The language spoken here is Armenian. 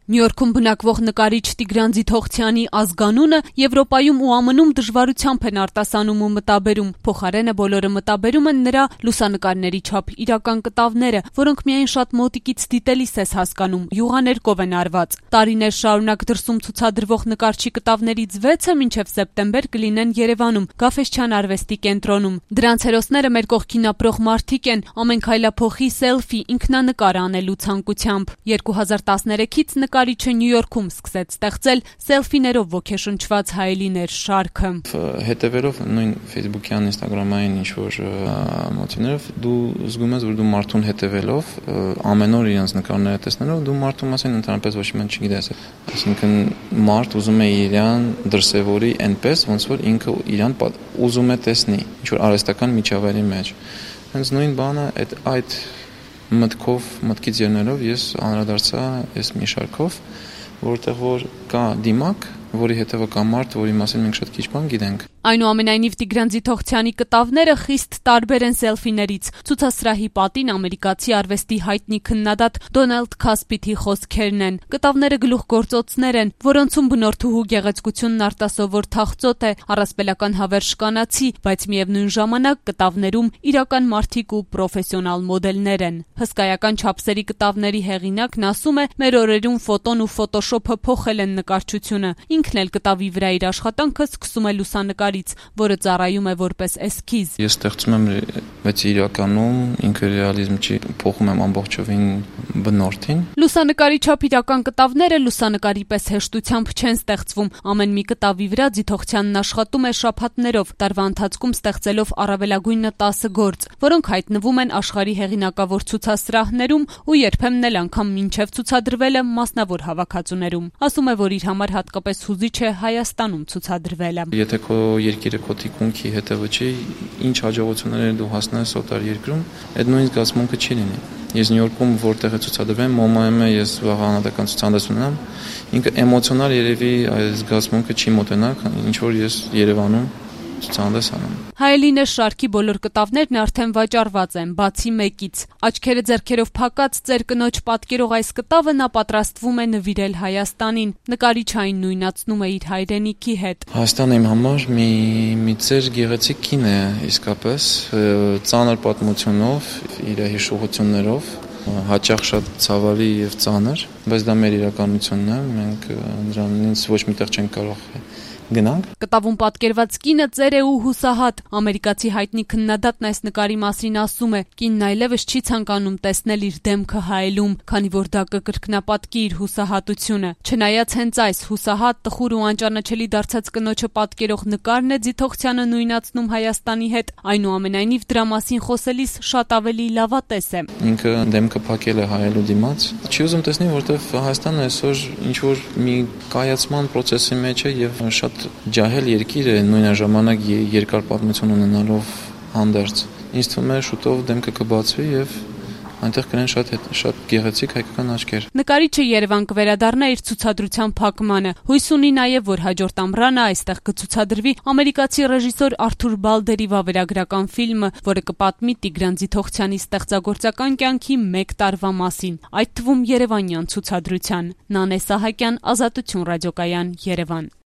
Նյու Յորքում բնակվող նկարիչ Տիգրան Ձիթողցյանի ազգանունը Եվրոպայում ու ԱՄՆ-ում դժվարությամբ են արտասանում ու մտաբերում, փոխարենը բոլորը մտաբերում են նրա լուսանկարների չափ իրական կտավները, որոնք միայն շատ մոտիկից դիտելիս ես հասկանում, յուղաներկով են արված։ Տարիներ շարունակ դրսում ցուցադրվող նկարչի կտավներից 6-ը մինչև սեպտեմբեր կլինեն Երևանում, Գաֆէսչյան արվեստի կենտրոնում։ Դրանց հերոսները մեր կողքին ապրող մարդիկ են, ամեն քայլափոխի սելֆի, ինքնանկար անելու ցանկությամբ։ 2013-ից նկարիչը Նյու Յորքում սկսեց ստեղծել սելֆիներով ոգեշնչված հայելիներ շարքը։ Հետևելով նույն Facebook-յան, Instagram-ային ինչ-որ մոտիվներով դու զգում ես, որ դու մարդուն հետևելով, ամեն օր իրենց նկարները տեսնելով, դու մարդու մասին ընդհանրապես ոչ մի չգիտես։ Այսինքն մարդ ուզում է իրան դրսևորի այնպես, ոնց որ ինքը իրան ուզում է տեսնի, ինչ-որ արհեստական միջավայրի մեջ։ Հենց նույն բանը այդ մտքից ելնելով ես անդրադարձա այս մի շարքով, որտեղ որ կա դիմակ, որի հետևը կա մարդ, որի մասին մենք շատ քիչ բան գիտենք։ Այնուամենայնիվ Տիգրան Ձիթողցյանի կտավները խիստ տարբեր են սելֆիներից։ Ցուցասրահի պատին ամերիկացի արվեստի հայտնի քննադատ Դոնալդ Քասպիթի խոսքերն են։ Կտավները գլուխգործոցներ են, որոնցում բնորդուհու գեղեցկությունն արտասովոր թախծոտ է, առասպելական հավերժ կանացի, բայց միևնույն ժամանակ կտավներում իրական մարդիկ ու պրոֆեսիոնալ մոդելներ են։ Հսկայական չափսերի կտավների հեղինակն ասում է, մեր օրերում ֆոտոն ու ֆոտոշոփը փոխել են նկարչությունը։ Ինքն էլ կտավի վրա իր աշխատանքը սկսում է լուսանկարից, որը ծառայում է որպես էսքիզ։ Ես ստեղծում եմ, բայց իրականում ինքը ռեալիզմ չի, փոխում եմ ամբողջովին բնորդին։ Լուսանկարի չափ իրական կտավները լուսանկարի պես հեշտությամբ չեն ստեղծվում։ Ամեն մի կտավի վրա Ձիթողցյանն աշխատում է շաբաթներով, տարվա ընթացքում ստեղծելով առավելագույնը 10 գործ, որոնք հայտնվում են աշխարհի հեղինակավոր ցուցասրահներում ու երբեմն էլ անգամ մինչև ցուցադրվելը մասնավոր հավաքածուներում։ Ասում է, որ իր համար հատկապես հուզիչ է Հայաստանում ցուցադրվելը։ Եթե քո երկիրը քո թիկունքի հետևը չի, ինչ հաջողություններ դու հասնես օտար երկրում, այդ նույն զգացմունքը չի լինի։ Ես Նյու Յորքում որտեղ է ցուցադրվում, MoMA-ում ես վաղ անհատական ցուցանիշ ունեմ, ինքը էմոցիոնալ երևի այս զգացմունքը չի մոտենա, ինչ որ ես Երևանում ցուցանիշ անում։ Հայելինը շարքի բոլոր կտավներն արդեն վաճառված են, բացի մեկից։ Աչքերը ձեռքերով փակած ծեր կնոջ պատկերող այս կտավը նա պատրաստվում է նվիրել Հայաստանին։ Նկարիչը այն նույնացնում է իր հայրենիքի հետ։ Հայաստանը իմ համար մի ծեր գեղեցիկ կին է, իսկապես ծանր պատմությունով, իր հիշողություններով, հաճախ շատ ցավալի եւ ծանր, բայց դա մեր իրականությունն է, մենք դրանից ոչ միտեղ չենք կարող գնանք։ Կտավում պատկերված կինը ծեր է ու հուսահատ։ Ամերիկացի հայտնի քննադատն այս նկարի մասին ասում է. կինն այլևս չի ցանկանում տեսնել իր դեմքը հայելում, քանի որ դա կկրկնապատկի իր հուսահատությունը։ Չնայած հենց այս հուսահատ, տխուր ու անճանաչելի դարձած կնոջը պատկերող նկարն է Ձիթողցյանը նույնացնում Հայաստանի հետ, այնուամենայնիվ դրա մասին խոսելիս շատ ավելի լավատես է։ Ինքը դեմքը փակել է հայելու դիմաց։ Չի ուզում տեսնել, որտեղ Հայաստանը այսօր ինչ որ մի կայացման process-ի մեջ է եւ շատ ջահել երկիր է, նույնաժամանակ երկար պատմություն ունենալով հանդերձ։ Ինձ թվում է շուտով դեմքը կբացվի եւ այնտեղ կլինեն շատ գեղեցիկ հայկական աչքեր։ Նկարիչը Երևան կվերադառնա իր ցուցադրության փակմանը։ Հույս ունի նաեւ, որ հաջորդ ամռանը այստեղ կցուցադրվի ամերիկացի ռեժիսոր Արթուր Բալդերի վավերագրական ֆիլմը, որը կպատմի Տիգրան Ձիթողցյանի ստեղծագործական կյանքի 1 տարվա մասին, այդ թվում երևանյան ցուցադրության։ Նանե Սահակյան, Ազատություն ռադիոկայան, Երևան։